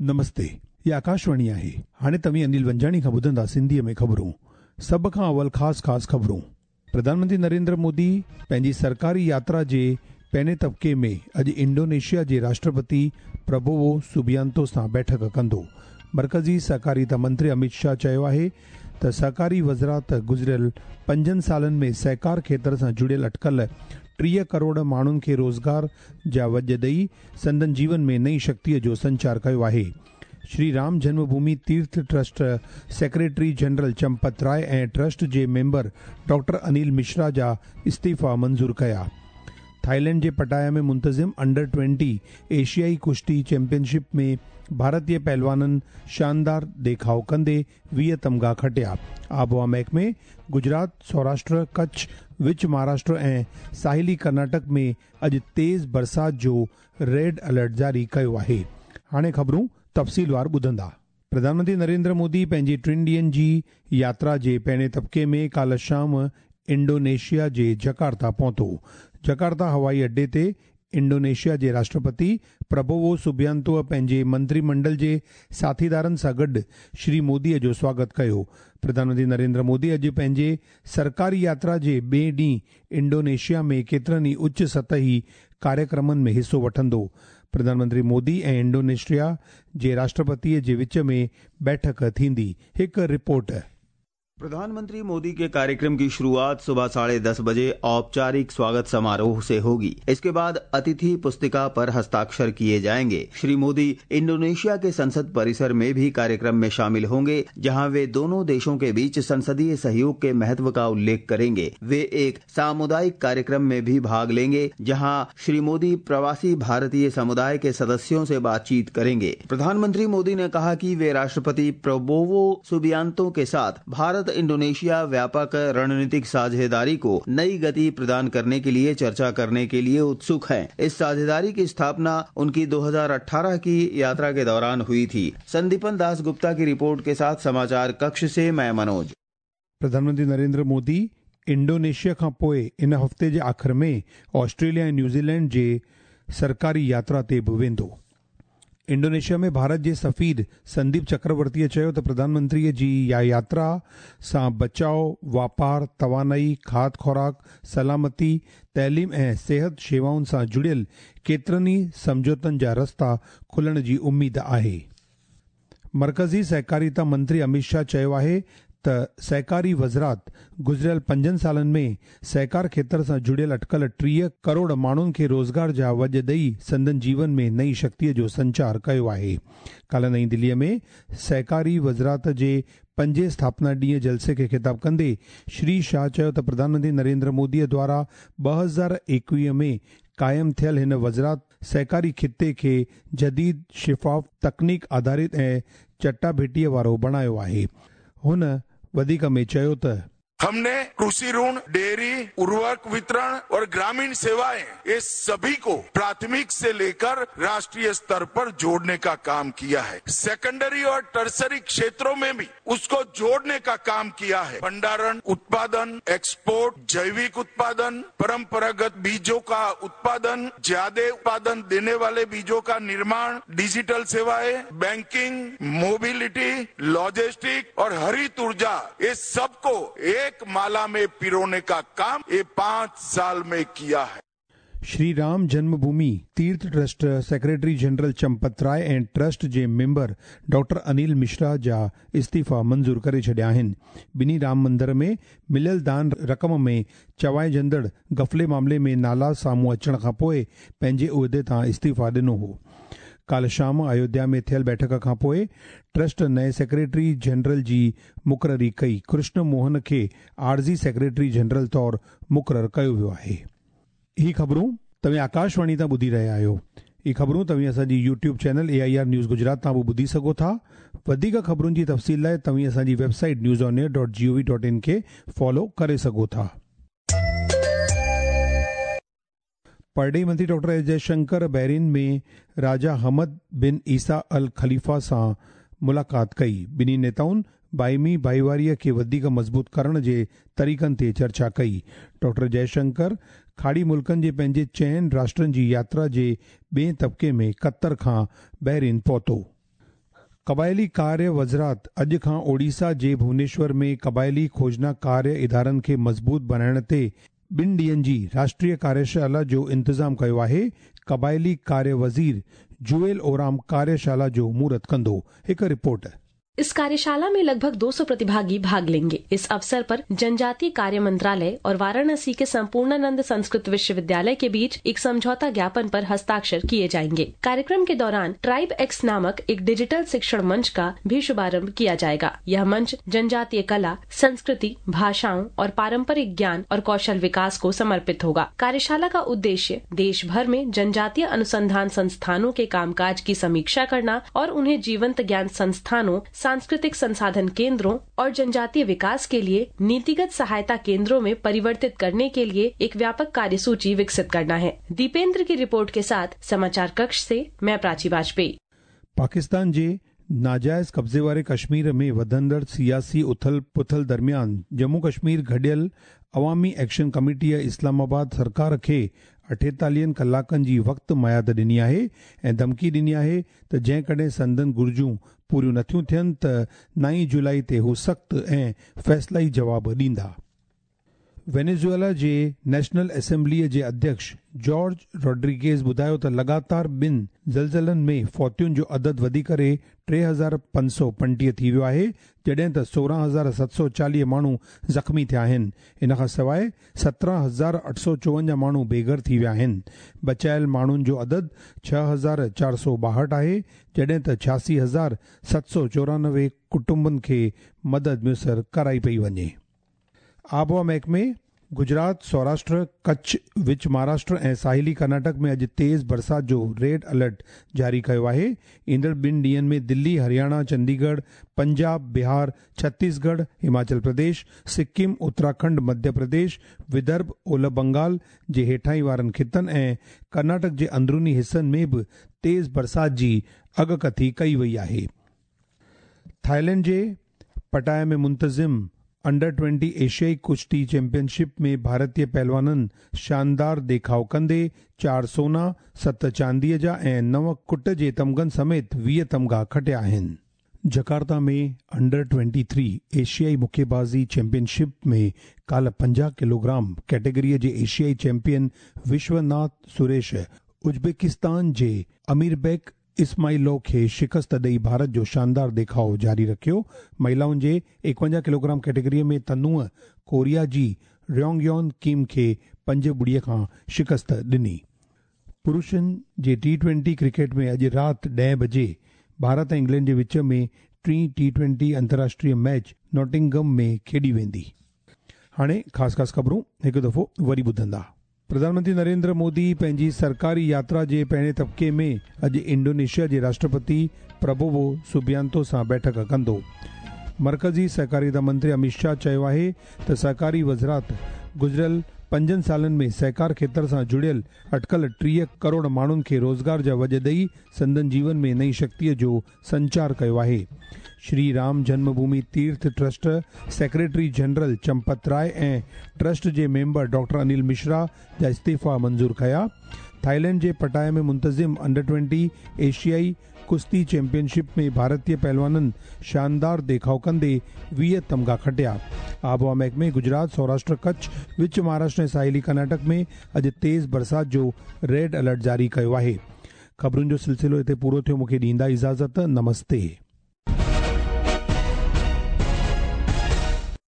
نمستي، هي آڪاشواڻي آهي. هاڻي توهين انيل ونجاڻي کان ٻڌندا سنڌيء ۾ خبرون. سڀ کان اول خاص خاص خبرون. پرڌان منتري نريندر مودي پنهنجي سرڪاري ياترا جي پهرين طبقي ۾ اڄ انڊونيشيا جي راشٽرپتي پرابوو سوبيانتو سان بيٺڪ ڪندو. مرڪزي سهڪاريتا منتري اميت شاهه چيو آهي ته سهڪاري وزارت گذريل پنجن سالن ۾ سهڪار کيتر سان جڙيل اٽڪل 30 ڪروڙ ماڻهن کي روزگار جا وڄ ڏئي سندن جيون ۾ نئين شڪتيء جو سنچار ڪيو آهي. Shri Ram Janma Bhoomi Tirth trust secretary general Champat Rai ۽ trust جي ميمبر ڊاڪٽر انيل مشرا جا استعيفا منظور ڪيا. ٿائيلينڊ جي پٽايا ۾ منتظم انڊر 20 ايشيائي ڪشتي چيمپيئن شپ ۾ ڀارتي پهلوانن شاندار ڏيکاء ڪندي 20 تمغا کٽيا. آبهوا محڪمي گجرات، سوراشٽر، ڪڇ، وچ مهاراشٽر ۽ ساحلي ڪرناٽڪ ۾ اڄ تيز برسات جو ريڊ الرٽ جاري ڪيو آهي. هاڻي خبرون تفصيلوار ٻڌندا. پرڌان منتري نريندر مودي پنهنجي ٽن ڏينهن جي ياترا جي پهرين طبقي ۾ ڪالهه شام انڊونيشيا جي جڪارتا پهتو. جڪارتا هوائي اڏي تي انڊونيشيا جي راشٽرپتي پرابوو سوبيانتو پنهنجي منتري منڊل جي ساٿيدارن سان گڏ شري مودي جو سواگت ڪيو. پرڌان منتري نريندر مودي اڄ پنهنجي سرڪاري ياترا جي ٻئي ڏينهن انڊونيشيا ۾ ڪيترن ئي اچ سطحي ڪاريڪرمن ۾ حصو وٺندو. پرڌان منتري مودي ۽ انڊونيشيا جي راشٽرپتي جي وچ ۾ بيٺڪ ٿيندي. هڪ رپورٽ. प्रधानमंत्री मोदी के कार्यक्रम की शुरुआत सुबह 10:30 बजे औपचारिक स्वागत समारोह से होगी। इसके बाद अतिथि पुस्तिका पर हस्ताक्षर किए जाएंगे। श्री मोदी इंडोनेशिया के संसद परिसर में भी कार्यक्रम में शामिल होंगे, जहां वे दोनों देशों के बीच संसदीय सहयोग के महत्व का उल्लेख करेंगे। वे एक सामुदायिक कार्यक्रम में भी भाग लेंगे, जहां श्री मोदी प्रवासी भारतीय समुदाय के सदस्यों से बातचीत करेंगे। प्रधानमंत्री मोदी ने कहा कि वे राष्ट्रपति प्रबोवो सुबियांतो के साथ भारत इंडोनेशिया व्यापक रणनीतिक साझेदारी को नई गति प्रदान करने के लिए चर्चा करने के लिए उत्सुक हैं। इस साझेदारी की स्थापना उनकी 2018 की यात्रा के दौरान हुई थी। संदीपन दास गुप्ता की रिपोर्ट के साथ समाचार कक्ष से मैं मनोज। प्रधानमंत्री नरेंद्र मोदी इंडोनेशिया खां पोइ इन हफ़्ते जे आख़िर में ऑस्ट्रेलिया ऐं न्यूज़ीलैंड जे सरकारी यात्रा ते बि वेंदो। इंडोनेशिया में भारत जे सफ़ीर संदीप चक्रवर्तीअ चयो त प्रधानमंत्रीअ जी इहा यात्रा सां बचाव, वापार, तवानाई, खाध खुराक, सलामती, तइलीम ऐं सिहत शेवाउनि सां जुड़ियल केतिरनि ई सम्झौतनि जा रस्ता खुलण जी उमेद आहे। मर्कज़ी सहकारिता मंत्री अमित शाह चयो आहे त सहकारी वज़ारत गुज़िरियल 5 सालनि में सहकार खेतर सां जुड़ियल अटकल 30 करोड़ माण्हुनि खे रोज़गार जा वॼ ॾेई संदन जीवन में नई शक्तीअ जो संचार कयो आहे। काल्ह नई दिल्लीअ में सहकारी वज़ारत जे पंजें स्थापना ॾींहं जलसे खे ख़िताब कंदे श्री शाह चयो त प्रधानमंत्री नरेंद्र मोदीअ द्वारा 2021 में क़ाइमु थियल हिन वज़ारत सहकारी ख़िते खे जदीद, शफ़ाफ़, तकनीक आधारित ऐं चटाभेटीअ वारो बणायो आहे। हुन वधीक में चयो त हमने कृषि ऋण, डेयरी, उर्वरक वितरण और ग्रामीण सेवाएं, ये सभी को प्राथमिक से लेकर राष्ट्रीय स्तर पर जोड़ने का काम किया है। सेकेंडरी और टर्सरी क्षेत्रों में भी उसको जोड़ने का काम किया है। भंडारण, उत्पादन, एक्सपोर्ट, जैविक उत्पादन, परंपरागत बीजों का उत्पादन, ज्यादा उत्पादन देने वाले बीजों का निर्माण, डिजिटल सेवाएं, बैंकिंग, मोबिलिटी, लॉजिस्टिक और हरित ऊर्जा, ये सबको एक माला में पिरोने का काम ये 5 साल में किया है। Shri Ram Janmabhoomi Tirth trust secretary general Champat Rai ऐं ट्रस्ट जे मेंबर डॉक्टर अनिल मिश्रा जा इस्तीफ़ा मंज़ूर करे छॾिया आहिनि। ॿिन्ही राम मंदर में मिलियल दान रक़म में चवाइजंदड़ गफ़ले मामले में नाला साम्हूं अचण खां पोइ पंहिंजे उहिदे तां इस्तीफ़ा ॾिनो हो। काल्ह शाम अयोध्या में थियल बैठक खां पोइ ट्रस्ट नए सेक्रेटरी जनरल जी मुक़ररी कई। कृष्ण मोहन खे आरज़ी सेक्रेटरी जनरल तौर मुक़ररु कयो वियो आहे। ही ख़बरूं तव्हां आकाशवाणी तां ॿुधी रहिया आहियो। ही ख़बरूं तव्हां असांजी YouTube channel AIR news Gujarat तां बि ॿुधी सघो था। वधीक ख़बरुनि जी तफ़सील लाइ तव्हां असांजी वेबसाइट newsonair.gov.in खे फॉलो करे सघो था। परॾेही मंत्री डॉक्टर एस जयशंकर बहरीन में राजा हमद बिन ईसा अल ख़लीफ़ा सां मुलाक़ात कई। ॿिन्ही नेताउनि बाहिमी भाईवारीअ खे वधीक मज़बूत करण जे तरीक़नि ते चर्चा कई। डॉक्टर जयशंकर खाड़ी मुल्कनि जे पंहिंजे 4 राष्ट्रनि जी यात्रा जे ॿिए तबक़े में क़तर खां बहरीन पहुतो। क़बाइली कार्य वज़ारत अॼु खां ओडिशा जे भुवनेश्वर में क़बाइली खोजना कार्य इदारनि खे मज़बूत बणाइण ते ॿिनि ॾींहंनि जी राष्ट्रीय कार्यशाला जो इंतज़ाम कयो आहे। क़बाइली कार्य वज़ीर जुएल ओराम कार्यशाला जो मुहूर्त कंदो। हिकु रिपोर्ट। इस कार्यशाला में लगभग 200 प्रतिभागी भाग लेंगे। इस अवसर पर जनजातीय कार्य मंत्रालय और वाराणसी के संपूर्णानंद संस्कृत विश्वविद्यालय के बीच एक समझौता ज्ञापन पर हस्ताक्षर किए जाएंगे। कार्यक्रम के दौरान ट्राइब एक्स नामक एक डिजिटल शिक्षण मंच का भी शुभारंभ किया जाएगा। यह मंच जनजातीय कला, संस्कृति, भाषाओं और पारंपरिक ज्ञान और कौशल विकास को समर्पित होगा। कार्यशाला का उद्देश्य देश भर में जनजातीय अनुसंधान संस्थानों के कामकाज की समीक्षा करना और उन्हें जीवंत ज्ञान संस्थानों, सांस्कृतिक संसाधन केंद्रों और जनजातीय विकास के लिए नीतिगत सहायता केंद्रों में परिवर्तित करने के लिए एक व्यापक कार्यसूची विकसित करना है। दीपेंद्र की रिपोर्ट के साथ समाचार कक्ष से मैं प्राची वाजपेयी। पाकिस्तान जे नाजायज़ कब्ज़े वारे कश्मीर में वधंदड़ सियासी उथल पुथल दरमियान जम्मू कश्मीर गॾियल अवामी एक्शन कमेटीअ इस्लामाबाद सरकार खे 48 कलाकनि जी वक़्तु मयाद ॾिनी आहे ऐं धमकी ॾिनी आहे त जंहिंकॾहिं संदन घुर्जूं पूरियूं नथियूं थियनि त 9 जुलाई ते हू सख़्तु ऐं फ़ैसिलाई जवाब ॾींदा। वेनेज़ुएला जे नेशनल असेंबलीअ जे अध्यक्ष जॉर्ज रॉड्रिगेज़ ॿुधायो त लगातार ॿिनि ज़लज़लनि में फौतियुनि जो अदद वधी करे 3525 थी वियो आहे, जॾहिं त 16740 माण्हू ज़ख़्मी थिया आहिनि। इन खां सवाइ 17854 माण्हू बेघर थी विया आहिनि। बचायल माण्हुनि जो अदद 6462 आहे, जॾहिं त 86794 कुटुंबनि खे मदद मुयसर कराई पई वञे। आबहावा महकमे गुजरात, सौराष्ट्र, कच्छ, विच महाराष्ट्र ऐं साहिली कर्नाटक में अॼु तेज़ बरसात जो रेड अलर्ट जारी कयो आहे। ईंदड़ ॿिनि ॾींहंनि में दिल्ली, हरियाणा, चंडीगढ़, पंजाब, बिहार, छत्तीसगढ़, हिमाचल प्रदेश, सिक्किम, उत्तराखंड, मध्य प्रदेश, विदर्भ, ओलह बंगाल जे हेठाई वारनि ख़ितनि ऐं कर्नाटक जे अंदरूनी हिसनि में बि तेज़ बरसात जी अॻकथी कई वई आहे। थाईलैंड जे पटाया में मुंतज़िम अंडर 20 एशियाई कुश्ती चैंपियनशिप में भारतीय पहलवाननि शानदार देखाव कंदे 4 सोना, 7 चांदीअ जा ऐं 9 कुट जे तमगनि समेत 20 तमगा खटिया आहिनि। जकार्ता में अंडर 23 एशियाई मुक्केबाज़ी चैंपियनशिप में काल्ह 50 किलोग्राम कैटेगरीअ जे एशियाई चैंपियन विश्वनाथ सुरेश उज़्बेकिस्तान जे अमीरबेक इस्माइलो खे शिकस्त ॾेई भारत जो शानदार देखाव जारी रखियो। महिलाउनि जे 51 किलोग्राम कैटेगरीअ में तनूअ कोरिया जी रयोंगयोन किम खे 5-0 खां शिकस्त ॾिनी। पुरुषनि जे T20 cricket में अॼु राति 10 बजे भारत ऐं इंग्लैंड जे विच में टीं T20 अंतर्राष्ट्रीय मैच नॉटिंघम में खेॾी वेंदी। हाणे ख़ासि ख़ासि ख़बरूं हिकु दफ़ो वरी ॿुधंदा। प्रधानमंत्री नरेंद्र मोदी पंहिंजी सरकारी यात्रा जे पहिरें तबिके में अॼु इंडोनेशिया जे राष्ट्रपति प्रबोवो सुबियांतो सां बैठक कंदो। मर्कज़ी सहकारिता मंत्री अमित शाह चयो आहे त सहकारी वज़ारत गुज़िरियल 5 सालनि में सहकार खेतर सां जुड़ियल अटकल 30 करोड़ माण्हुनि खे रोज़गार जा वॼ ॾेई संदन जीवन में नई शक्तिअ जो संचार कयो आहे। Shri Ram Janmabhoomi Tirth trust secretary general Champat Rai ऐं ट्रस्ट जे मेंबर डॉक्टर अनिल मिश्रा जा इस्तीफ़ा मंज़ूर कया। थाईलैंड जे पटाया में मुंतज़िम अंडर 20 एशियाई कुश्ती चैंपियनशिप में भारतीय पहलवाननि शानदार देखाव कंदे 20 तमगा खटिया। आबहावा महकमे गुजरात, सौराष्ट्र, कच्छ, विच महाराष्ट्र ऐं साहिली कर्नाटक में अॼु तेज़ बरसात जो रेड अलर्ट जारी कयो आहे। ख़बरुनि जो सिलसिलो हिते पूरो थियो। मूंखे ॾींदा इजाज़त। नमस्ते।